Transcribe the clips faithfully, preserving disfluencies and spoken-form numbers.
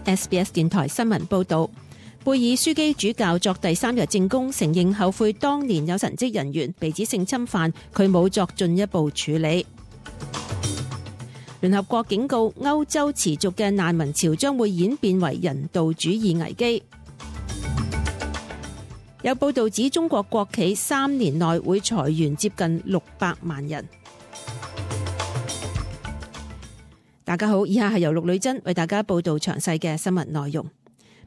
S B S 電台新聞報道，貝爾樞機主教作第三日證供，承認後悔當年有神職人員被指性侵犯，佢冇作進一步處理。聯合國警告，歐洲持續嘅難民潮將會演變為人道主義危機。有報道指，中國國企三年內會裁員接近六百萬人。大家好，以下係由陸女真為大家報道詳細嘅新聞內容。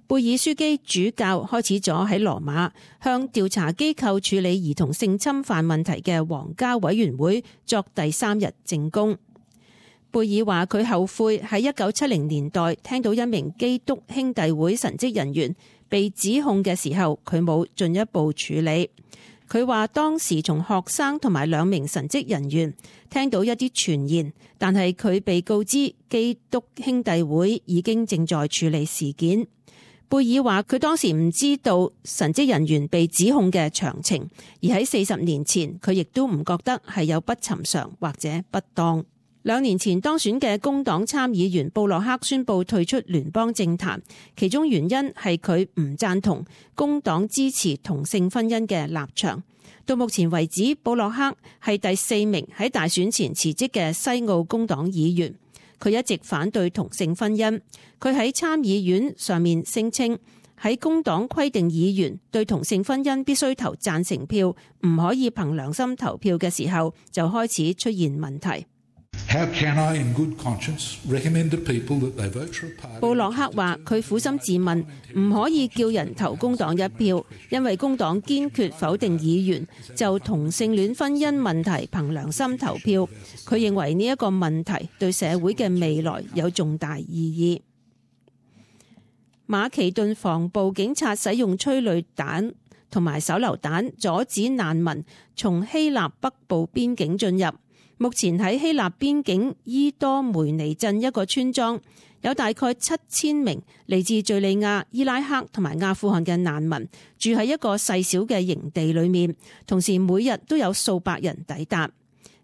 貝爾樞機主教開始咗喺羅馬向調查機構處理兒童性侵犯問題嘅皇家委員會作第三日證供。貝爾話佢後悔喺一九七零年代聽到一名基督兄弟會神職人員被指控嘅時候，佢冇進一步處理。佢話當時從學生同埋兩名神職人員聽到一啲傳言，但係佢被告知基督兄弟會已經正在處理事件。貝爾話佢當時唔知道神職人員被指控嘅詳情，而喺四十年前佢亦都唔覺得係有不尋常或者不當。兩年前當選嘅工黨參議員布洛克宣布退出聯邦政壇，其中原因係佢唔贊同工黨支持同性婚姻嘅立場。到目前為止，布洛克係第四名喺大選前辭職嘅西澳工黨議員。佢一直反對同性婚姻。佢喺參議院上面聲稱，喺工黨規定議員對同性婚姻必須投贊成票，唔可以憑良心投票嘅時候，就開始出現問題。布洛克話佢苦心自問，唔可以叫人投工黨一票，因為工黨堅決否定議員就同性戀婚姻問題憑良心投票。佢認為呢一個問題對社會嘅未來有重大意義。馬其頓防暴警察使用催淚彈同埋手榴彈阻止難民從希臘北部邊境進入。目前喺希臘邊境伊多梅尼鎮一個村莊，有大概七千名嚟自敘利亞、伊拉克同埋阿富汗嘅難民住喺一個細小嘅營地裏面，同時每日都有數百人抵達。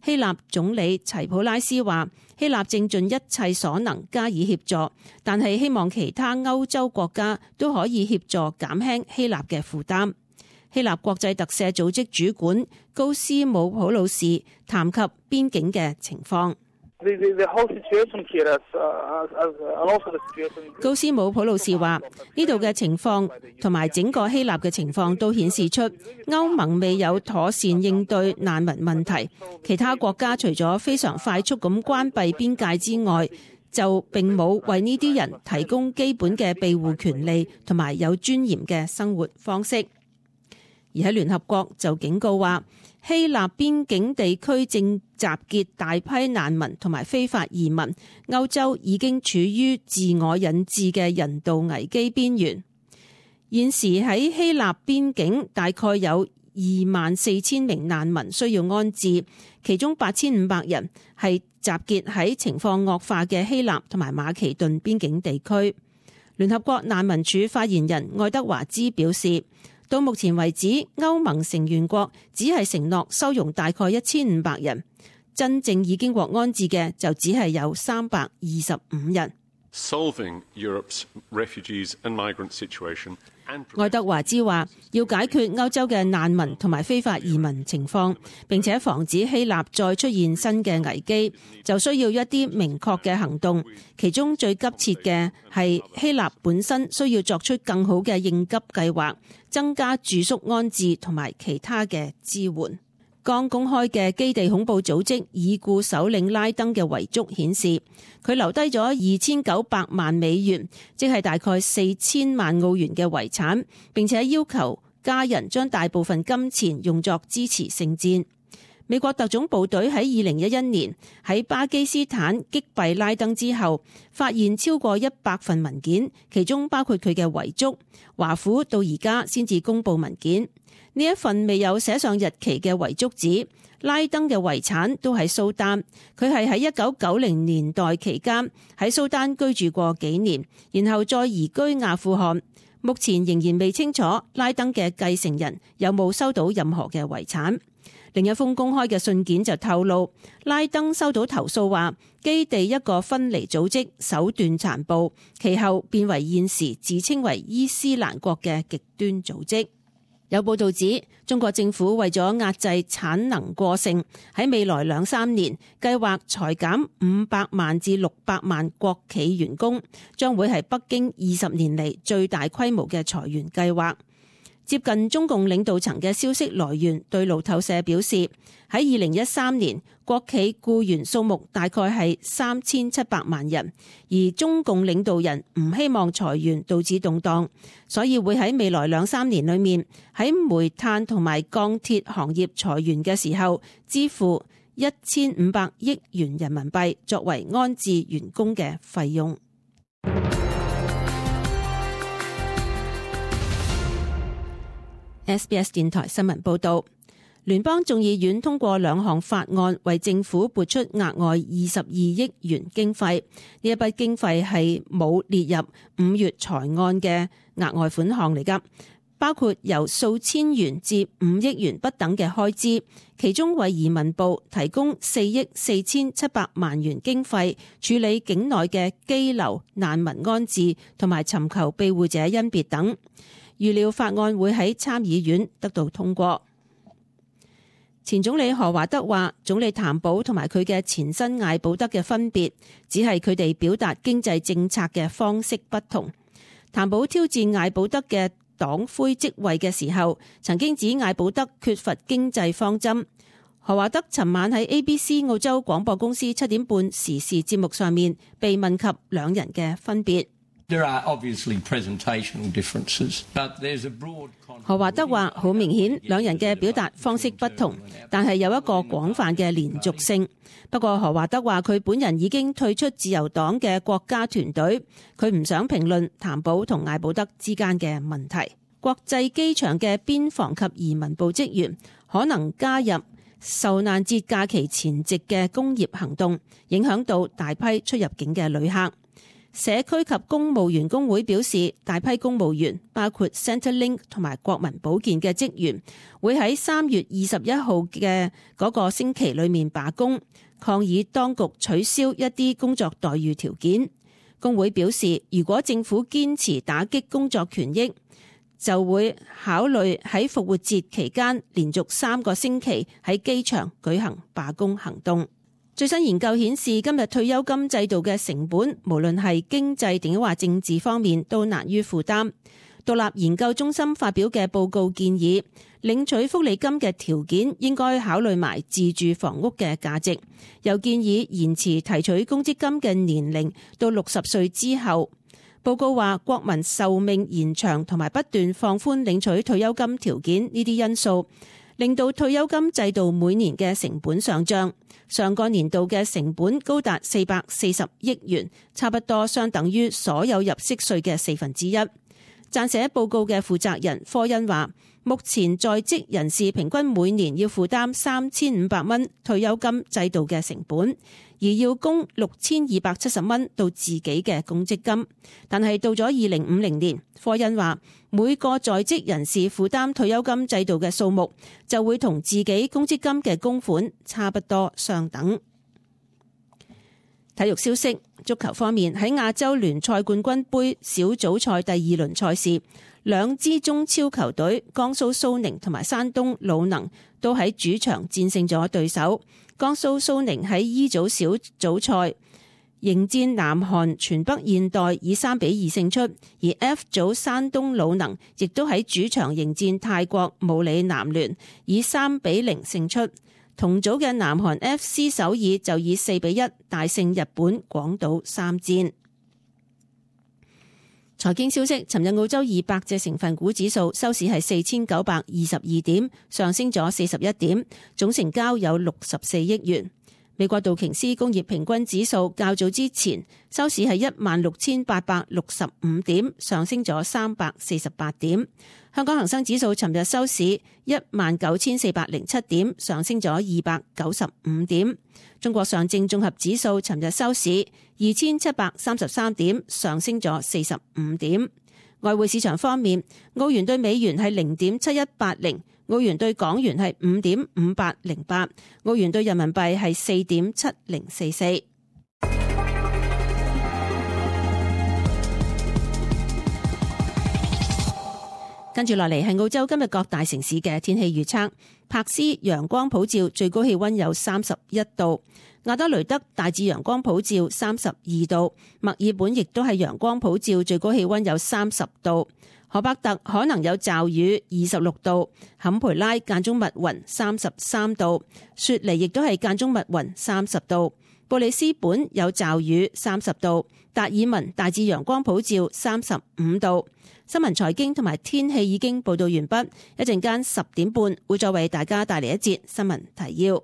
希臘總理齊普拉斯話，希臘正盡一切所能加以協助，但係希望其他歐洲國家都可以協助減輕希臘嘅負擔。希臘國際特赦組織主管高斯姆普魯士談及邊境嘅情況。高斯姆普魯士話：呢度嘅情況同埋整個希臘嘅情況都顯示出歐盟未有妥善應對難民問題。其他國家除咗非常快速咁關閉邊界之外，就並冇為呢啲人提供基本嘅庇護權利同埋有尊嚴嘅生活方式。而喺聯合國就警告話，希臘邊境地區正集結大批難民同埋非法移民，歐洲已經處於自我引致嘅人道危機邊緣。現時喺希臘邊境大概有二萬四千名難民需要安置，其中八千五百人係集結喺情況惡化嘅希臘同埋馬其頓邊境地區。聯合國難民署發言人愛德華茲表示，到目前為止，歐盟成員國只係承諾收容大概一千五百人，真正已經獲安置嘅就只係有三百二十五人。愛德華茲話，要解決歐洲嘅難民同埋非法移民情況，並且防止希臘再出現新嘅危機，就需要一啲明確嘅行動。其中最急切嘅係希臘本身需要作出更好嘅應急計劃，增加住宿安置同埋其他嘅支援。剛公開嘅基地恐怖組織已故首領拉登嘅遺囑顯示，佢留低咗二千九百萬美元，即係大概四千萬澳元嘅遺產，並且要求家人將大部分金錢用作支持聖戰。美國特種部隊喺二零一一年喺巴基斯坦擊斃拉登之後，發現超過一百份文件，其中包括佢嘅遺囑。華府到而家先至公布文件。呢一份未有寫上日期嘅遺囑指，拉登嘅遺產都喺蘇丹，佢係喺一九九零年代期間喺蘇丹居住過幾年，然後再移居阿富汗。目前仍然未清楚拉登嘅繼承人有冇收到任何嘅遺產。另一封公開嘅信件就透露，拉登收到投訴話基地一個分離組織手段殘暴，其後變為現時自稱為伊斯蘭國嘅極端組織。有報道指，中國政府為咗壓制產能過剩，喺未來兩三年計劃裁減五百萬至六百萬國企員工，將會係北京二十年嚟最大規模嘅裁員計劃。接近中共領導層嘅消息來源對路透社表示，喺二零一三年國企僱員數目大概係三千七百萬人，而中共領導人唔希望裁員導致動盪，所以會喺未來兩三年裏面喺煤炭同埋鋼鐵行業裁員嘅時候支付一千五百億元人民幣作為安置員工嘅費用。S B S 電台新聞報道，聯邦眾議院通過兩項法案，為政府撥出額外二十二億元經費。呢一筆經費係冇列入五月財案嘅額外款項嚟㗎，包括由數千元至五億元不等嘅開支，其中為移民部提供四億四千七百萬元經費，處理境內嘅羈留、難民安置同埋尋求庇護者甄別等。預料法案會喺參議院得到通過。前總理何華德話，總理譚寶同埋佢嘅前身艾保德嘅分別，只係佢哋表達經濟政策嘅方式不同。譚寶挑戰艾保德嘅黨魁職位嘅時候，曾經指艾保德缺乏經濟方針。何華德尋晚喺 A B C 澳洲廣播公司七點半時事節目上面被問及兩人嘅分別。There are obviously presentational differences, but there's a broad... 何華德話：好明顯，兩人嘅表達方式不同，但係有一個廣泛嘅連續性。不過何華德話佢本人已經退出自由黨嘅國家團隊，佢唔想評論譚寶同艾保德之間嘅問題。國際機場嘅邊防及移民部職員可能加入受難節假期前夕嘅工業行動，影響到大批出入境嘅旅客。社區及公務員工會表示，大批公務員包括 Centrelink 同埋國民保健嘅職員會喺三月二十一號嘅嗰個星期裏面罷工，抗議當局取消一啲工作待遇條件。工會表示，如果政府堅持打擊工作權益，就會考慮喺復活節期間連續三個星期喺機場舉行罷工行動。最新研究顯示，今日退休金制度嘅成本，無論係經濟定話政治方面，都難於負擔。獨立研究中心發表嘅報告建議，領取福利金嘅條件應該考慮埋自住房屋嘅價值，又建議延遲提取公積金嘅年齡到六十歲之後。報告話，國民壽命延長同埋不斷放寬領取退休金條件呢啲因素，令到退休金制度每年嘅成本上漲。上個年度嘅成本高達四百四十億元，差不多相等於所有入息稅嘅四分之一。撰寫報告嘅負責人科恩話，目前在職人士平均每年要負擔三千五百蚊退休金制度嘅成本，而要供六千二百七十蚊到自己嘅公積金。但係到咗二零五零年，科恩話每個在職人士負擔退休金制度嘅數目就會同自己公積金嘅供款差不多相等。體育消息，足球方面，喺亞洲聯賽冠軍盃小組賽第二輪賽事，兩支中超球隊江蘇蘇寧同埋山東魯能都喺主場戰勝咗對手。江蘇蘇寧喺 E 組小組賽迎戰南韓全北現代，以三比二勝出，而 F 組山東魯能亦都喺主場迎戰泰國武里南聯，以三比零勝出。同組嘅南韓 F C 首爾就以四比一大勝日本廣島三戰。財經消息，尋日澳洲二百隻成分股指數收市係四千九百二十二點，上升咗四十一點，總成交有六十四億元。美國道瓊斯工業平均指數較早之前收市係一萬六千八百六十五點，上升咗三百四十八點。香港恒生指數尋日收市一萬九千四百零七點，上升咗二百九十五點。中國上證綜合指數尋日收市二千七百三十三點，上升咗四十五點。外匯市場方面，澳元對美元係零點七一八零，澳元對港元係五點五八零八，澳元對人民幣係四點七零四四。跟住落嚟係澳洲今日各大城市嘅天氣預測。柏斯陽光普照，最高氣溫有三十一度；亞德雷德大致陽光普照，三十二度；墨爾本亦都係陽光普照，最高氣溫有三十度；荷伯特可能有驟雨，二十六度；坎培拉間中密雲，三十三度；雪梨亦都係間中密雲，三十度；布里斯本有驟雨，三十度；達爾文大致陽光普照，三十五度。新聞財經同埋天氣已經報道完畢，一陣間十點半會再為大家帶嚟一節新聞提要。